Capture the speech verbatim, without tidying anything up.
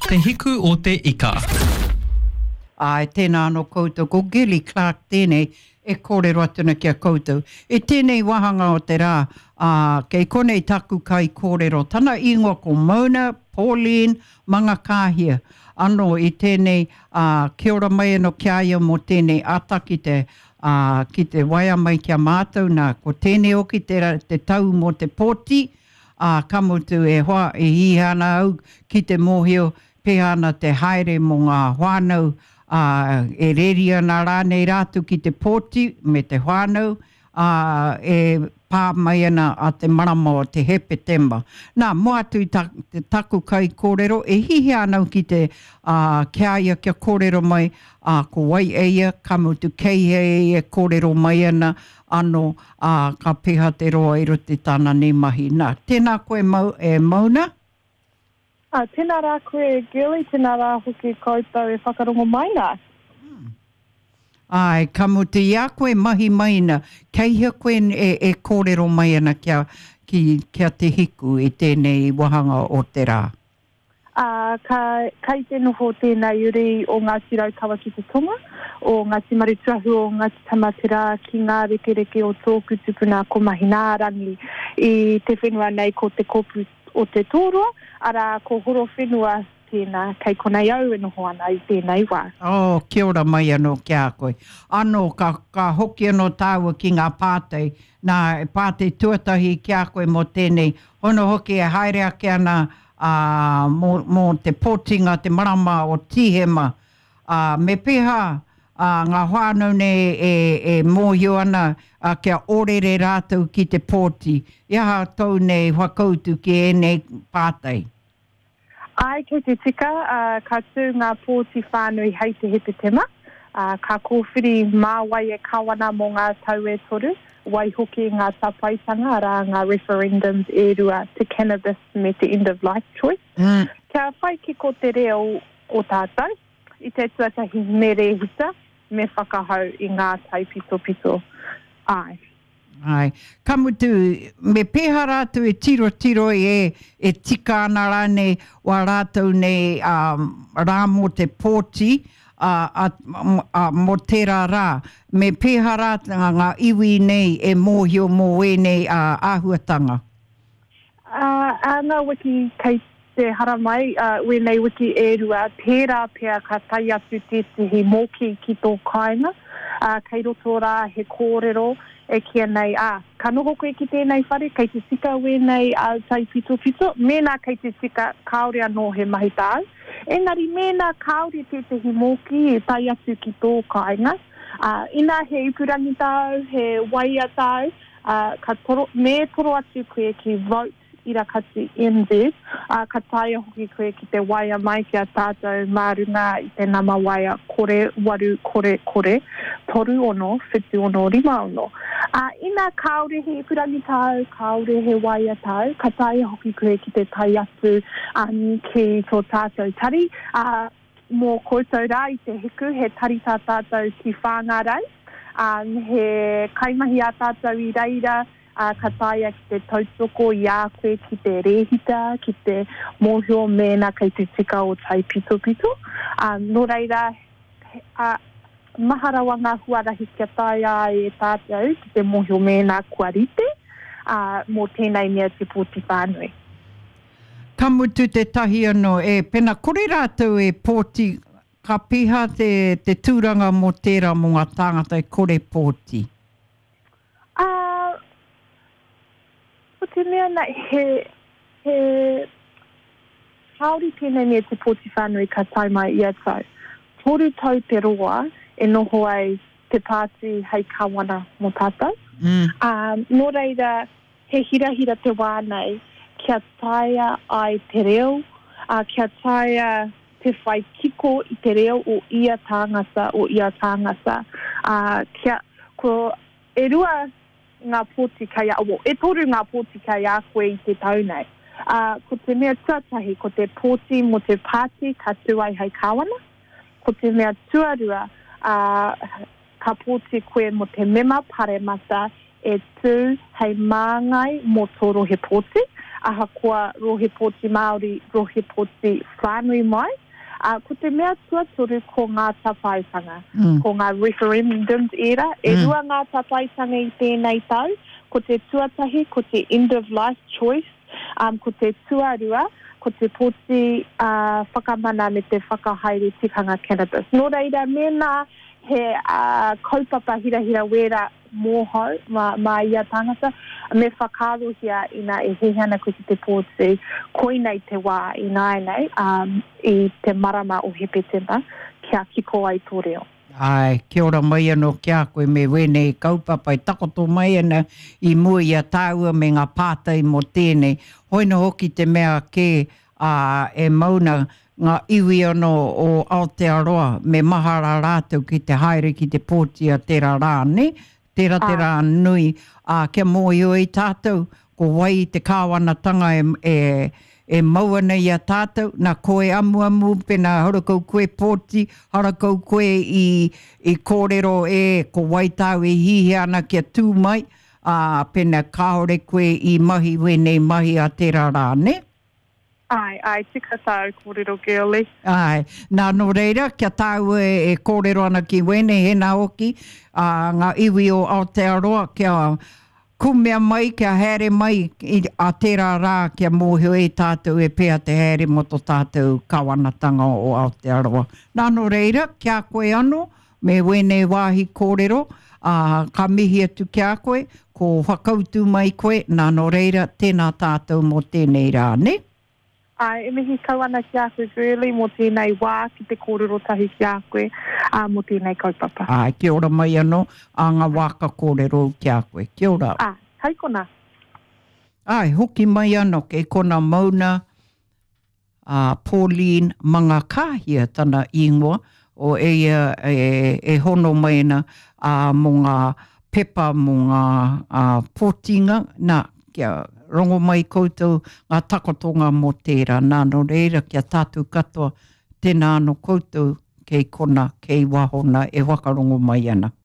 Te Hiku o te Ika. Āe, tēnā anō koutou, ko Gilly Clark tēnei e kōrero atu ana ki a koutou. I tēnei wāhanga o te rā, ā, kei konei taku kaikōrero, tana ingoa ko Mona Pauline Mangakāhia. Anō i tēnei, ā, kia ora mai anō ki a ia mō tēnei ata ki te, ā, ki te waea mai ki a mātou, nā, ko tēnei hoki te, te tau mō te pōti, ā, ka mutu e hoa, e hiahia ana au ki te mōhio pēhea ana te haere mō ngā whānau, ā, e reri ana rānei rātou ki te pōti me te whānau, ā, e pā mai ana a te marama o te Hepetema. Nā, mua atu i ta, te taku kaikōrero, e hiahia ana au ki te, ā, ki a ia kia kōrero mai, ā, ko wai e ia, ka mutu kei hea e ia e kōrero mai ana, anō, ā, ka pēhea te roa i roto i tāna nei mahi. Nā, tēnā koe Mau, e Mauna. Ā, tēnā rā koe e Girlie, tēnā rā hoki koutou e whakarongo mai nā. Āe, ka mutu i a koe mahi mai ana, kei hea koe e, e kōrero mai ana kia, ki, ki a Te Hiku i tēnei wāhanga o te rā? Ā, ka, kei te noho tēnei uri o Ngāti Raukawa ki te tonga, o Ngāti Marutuahu, o Ngāti Tamaterā ki ngā rekereke o tōku tupuna ko Mahinārangi i te whenua nei ko Te Kōpū o Te Tōroa, arā, ko Horowhenua tēnā, kei konei au e noho ana i tēnei wā. Oh, kia ora mai anō ki a koe. Anō, ka, ka hoki anō tāua ki ngā pātai. Nā, e pātai tuatahi ki a koe mō tēnei, hono hoki e haere ake ana, ā, mō, mō te pōtinga te marama o Tīhema, ā, me pēhā, ā, ngā whānau nei e, e mōhio ana, ā, kia ōrere rātou ki te pōti. I aha tōu nei whakautu ki ēnei pātai? Āe, kei te tika, ā, ka tū ngā pōti whānui hei te Hepetema, ā, ka kōwhiri mā wai e kawana mō ngā tau e toru, waihoki ngā tāpaetanga, arā, ngā referendums e rua, te cannabis me te end of life choice. Kia whai kiko te reo o tātou, i te tuatahi me rēhita, me whakahau i ngā taipitopito. Āe. Āe. Ka mutu, me pēhea rātou e tirotiro i e, e tika ana rānei wā rātou nei ā, rā mō te pōti, ā, ā, ā, mō tērā rā. Me pēhea rā ngā iwi nei e mōhio mō ēnei ā, āhuatanga? Ā, ā ngā wiki kei te haramai, ā, wēnei wiki e rua, tērā pea ka tae atu tētehi mōkī ki tō kāinga, ā, kei roto rā he kōrero e kīia nei, ā, ka noho koe ki tēnei whare, kei te tika wēnei āu taipitopito, mēnā kei te tika, kāore anō he mahi tāu. Engari mēnā kāore tētehi mōkī e tae atu ki tō kāinga, ā, inā he ipurangi tāu, he waea tāu, ā, ka toro, me toro atu koe ki Vote Irakati NZ, ā, ka taea hoki koe ki te waea mai ki a tātou mā runga i te nama waea kore waru kore kore toru ono whitu ono rima ono. Ā, ina kāore he ipurangi tāu, kāore he waea tāu, ka taea hoki koe ki te tae atu um, ki tō tātou tari, ā, mō koutou rā i te hiku, he tari tā tātou ki Whāngārei, um, he kaimahi ā tātou i reira, ā, ka taea ki te tautoko i a koe ki te rēhita, ki te mōhio mēnā kei te tika o taipitopito. Ā, nō reira, ā, maha rawa ngā huarahi kia taea ai e tātou ki te mōhio mēnā kua rite, ā, mō tēnei mea te pōti whānui. Ka mutu tētahi anō, e, pena kore rātou e pōti, ka pēhea te, te tūranga mō tērā mō ngā tāngata e kore pōti? Ā, ko te mea nei, he, he, kāore tēnei mea te pōti whānui ka tae mai ia tau. Toru tau te roa e noho ai te pāti hei kāwana mō tātou. Mm. Ā, nō reira, he hirahira te wā nei kia taea ai te reo, ā, kia taea te whai kiko i te reo o ia tāngata, o ia tāngata. Ā, kia, ko, E rua ngā pōti kei a, well, e toru ngā pōti kei a koe i te tau nei. Ā, ko te mea tuatahi, ko te pōti mō te pāti ka tū ai hei kāwana. Ko te mea tuarua, ā, ka pōti koe mō te mema paremata e tū hei māngai mō tō rohe pōti, ahakoa rohe pōti Māori, rohe pōti whānui mai. Uh, ko te mea tuatoru ko ngā tāpaetanga, mm. ko ngā referendums ērā. E mm. rua ngā tāpaetanga i tēnei tau, ko te tuatahi, ko te end of life choice, um, ko te tuarua, ko te pōti uh, whakamana me te whakahaere tikanga cannabis. Nō reira, mēnā he uh, kaupapa hirahira wērā mōhou, mā, mā ia tangata, me whakaarohia ina e hiahia ana koe ki te pōti, koinei te wā ināianei, um, i te marama o Hepetema, kia kiko ai tō reo. Āe, kia ora mai anō ki a koe me wēnei kaupapa e takoto mai ana i mua i a tāua me ngā pātai mō tēnei. Hoina hoki te mea kē, ā, e mau na ngā iwi anō o Aotearoa me mahara rātou ki te haere ki te pōti a tērā rā, nē? Tērā te rā nui, ā, kia mōhio ai tātou ko wai te kāwanatanga e, e, e mau ana i a tātou, nā koe amuamu, pēnā harakau koe pōti, harakau koe i, i kōrero e ko wai tāu e hihia ana kia tū mai, ā, pēnā kāore koe i mahi wēnei mahi a tērā rā, nē? Āe, āe, tika tāu kōrero, Girlie. Āe, nā, nō reira, kia tāua e, e kōrero ana ki wēnei, hēnā hoki, ā, ngā iwi o Aotearoa, kia kumea mai, kia haere mai i, a tērā rā, kia mōhio e tātou e pēhea te haere mō tō tātou kawanatanga o Aotearoa. Nā, nō reira, ki a koe anō, me wēnei wāhi kōrero, ā, ka mihi atu ki a koe, ko whakautu mai koe, nā, nō reira, tēnā tātou mō tēnei rā, nē? Āe, e mihi kau ana ki a koe Girlie mō tēnei wā ki te kōrero tahi ki a koe, ā, mō tēnei kaupapa. Āe, kia ora mai anō, ā ngā wā ka kōrero ki a koe. Kia ora. Ā, hei konā. Āe, hoki mai anō kei kona mauna a Pauline Mangakāhia tana ingoa, o eia e, e hono mai ana ā, mō ngā pepa mō ngā ā, pōtinga, nā, kia rongo mai koutou ngā takotonga mō tērā. Nā, nō reira, kia tātou katoa, tēnā anō koutou kei kona, kei waho nā e whakarongo mai ana.